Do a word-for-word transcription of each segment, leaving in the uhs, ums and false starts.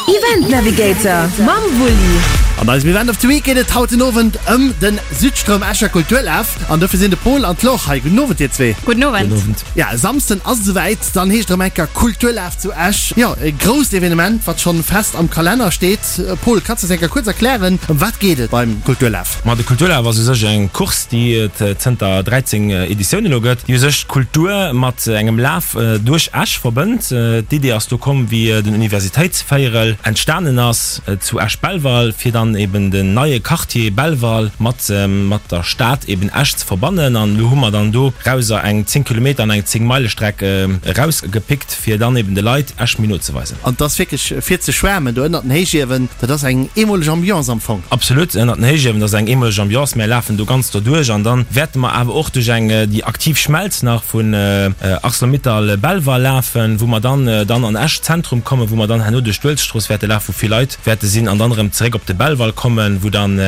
Event Navigator mam Wulli. An eisem Event of the Week geet et haut den Owend ëm den Südstroum Escher Kulturlaf. An dofir sinn de Pol an d'Laure hei. Gudden Owend dir zwee. Gudden Owend. Ja, e Samsden ass et esouwäit, dann heescht et erëm eng Kéier Kulturlaf zu Esch. Jo, e grousst Evenement, wat schonn fest am Kalenner steet. Pol, kanns de eis eng Kéier kuerz erklären, ëm wat geet et beim Kulturlaf? Ma de Kulturlaf ass u sech eng Course, déi et zënter dräizéng Editiounen elo gëtt, déi u sech d'Kultur mat engem Laf duerch Esch verbënnt. D'Idee ass do komm, wéi den Universitéitsvéierel entstanen ass zu Esch-Belval, fir dann eben den neie Quartier Belval mat mat der Stad eben Esch ze verbannen. An elo hu mer dann do rauser eng zéng Kilometer an eng zéng Meile Streck erausgepickt, fir dann eben de Leit Esch méi no ze weisen. An et ass wierklech fir ze schwäermen do ënnert den Héichiewen. Dat ass eng eemoleg Ambiance am Fong. Absolut, ënnert den Héichiewen, dat ass eng eemoleg Ambiance. Mär lafen do ganz doduerch an dann wäerte mer awer och duerch eng déi aktiv Schmelz nach vun Arcelor-Mittal Belval lafen, wou mer dann dann an Esch Zentrum kommen, wou mer dann herno duerch d'Uelzechtstrooss wäerte lafen, wou vill Leit wäerte sinn an dann erëm zeréck op de Belval kommen, wou dann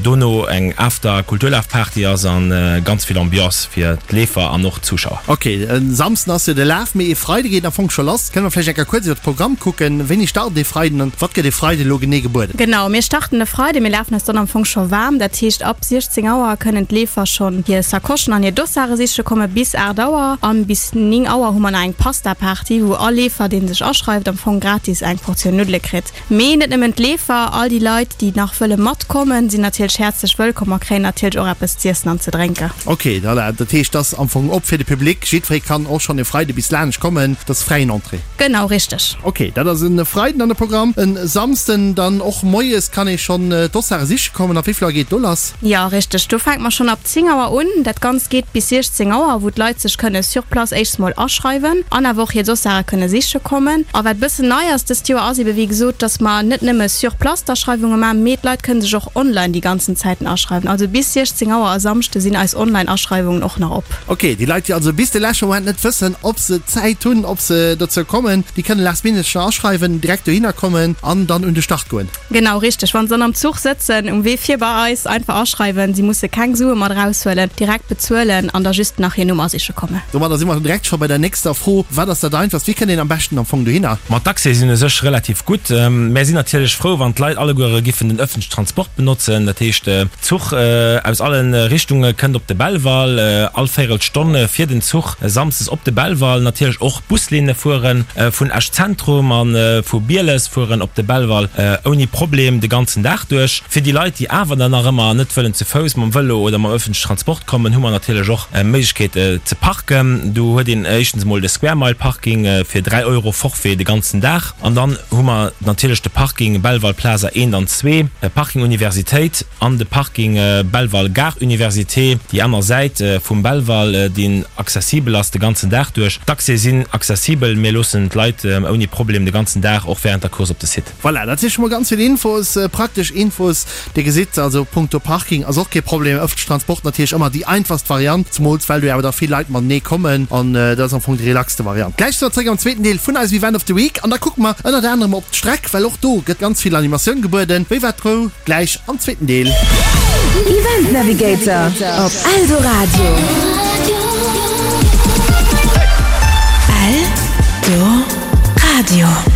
dono eng After-Kulturlaf-Party ass an ganz vill Ambiance fir d'Leefer an och d'Zuschauer. Ok, e Samsden ass jo de Laf, mee e Freide geet am Fong scho lass. Kënne mer vläicht eng Kéier kuerz iwwer de Programm kucken? Wéini start e Freiden an wat gëtt e Freide elo genee gebueden? Genau, mir starten e Freide, mir lafen eis dann am Fong scho waarm. Dat heescht ab siechzéng Auer kënnen d'Leefer schonn hir Sacochen an hir Dossare siche kommen, bis aacht Auer. An bis néng Auer hu mer nach eng Pasta-Party, wou all Leefer, dee sech aschreift, am Fong gratis eng Portioun Nuddele kritt. Mee net nëmmen d'Leefer, all déi Leit, déi nach wëlle matkommen, sinn natierlech häerzlech wëllkomm a kréien natierlech och eppes z'iessen an ze drénken. Ok, voilà, dat heescht, dat ass am Fong op fir de Public. Jiddweree kann och schonn e Freide bis laanscht kommen, dat ass fräien Entrée. Genau, richteg. Ok, dat ass e Freiden an de Programm. E Samsden dann och moies kann ee schonn d'Dossare siche kommen. Ab wéi vill Auer geet do lass? Jo, richteg, do fänke mer schonn ab zéng Auer un. Dat Ganzt geet bis siechzéng Auer, wou d'Leit sech kënne sur place éischts mol aschreiwen an awer och hir Dossare kënne siche kommen. A wat bëssen nei ass dëst Joer ass ebe wéi gesot, dass mer net nëmme sur place d'Aschreiwunge maachen, mee d'Leit kënne sech och online déi ganzen Zäiten aschreiwen. Also bis siechzéng Auer e Samschde sinn eis Online-Aschreiwungen och nach op. Ok, déi Leit, déi also bis de leschte Moment net wëssen, ob se Zäit hunn, ob se dozou kommen, déi kënne last minute scho aschreiwen, direkt dohinner kommen an dann un de Start goen. Genau, richteg. Wann se dann am Zuch sëtzen, um Wee fir bei eis, einfach aschreiwen. Si musse keng Sue mat eraushuelen, direkt bezuelen an da just nach hir Nummer siche kommen. Domadder si mer direkt scho bei der nächster Fro, Wat ass dat Einfachst? Wéi kënnt een am beschten am Fong dohinner? Ma d'Accèse sinn u sech relativ gutt. Mär sinn natierlech frou, wann d'Leit alleguere giffen den ëffentlechen Transport benotzen. Dat heescht, Zuch aus alle Richtunge kënnt op de Belval, all Véierelstonn fiert en Zuch samsdes op de Belval. Natierlech och Buslinne fuere vun Esch Zentrum a vu Bieles fueren op de Belval ouni Problem de ganzen Dag duerch. Fir déi Leit, déi awer dann nach ëmmer net wëllen ze Fouss, mam Vëlo oder mam ëffentlechen Transport kommen, hu mer natierlech och Méiglechkeet ze parken. Do huet een éischtens emol de Square Mile Parking fir dräi Euro Forfait de ganzen Dag. An dann hu mer natierlech de Parking Belval Plaza eent an zwee, Parking Universitéit an de Parking Belval Gare Université, déi aner Säit vum Belval, deen accessibel ass de ganzen Dag duerch. D'Accès sinn accessibel, mir loossen d'Leit ouni Problem de ganzen Dag, och wärend der Course, op de Site. Voilà, dat si scho mol ganz vill Infos, praktesch Infos. Dir gesitt also, punkto Parking ass och kee Problem. Ëffentlech Transport natierlech ëmmer déi einfachst Variant, zemools well do jo awer da vill Leit matenee kommen an dat ass am Fong déi relaxte Variant. Gläich si mer zréck am zweeten Deel vun eisem Event of the Week an da kucke mer ënnert anerem op d'Streck, well och do gëtt ganz vill Animatioun gebueden. Wéi war d'Rou? Gläich am zweeten Deel. Event Navigator op Eldoradio. Eldoradio.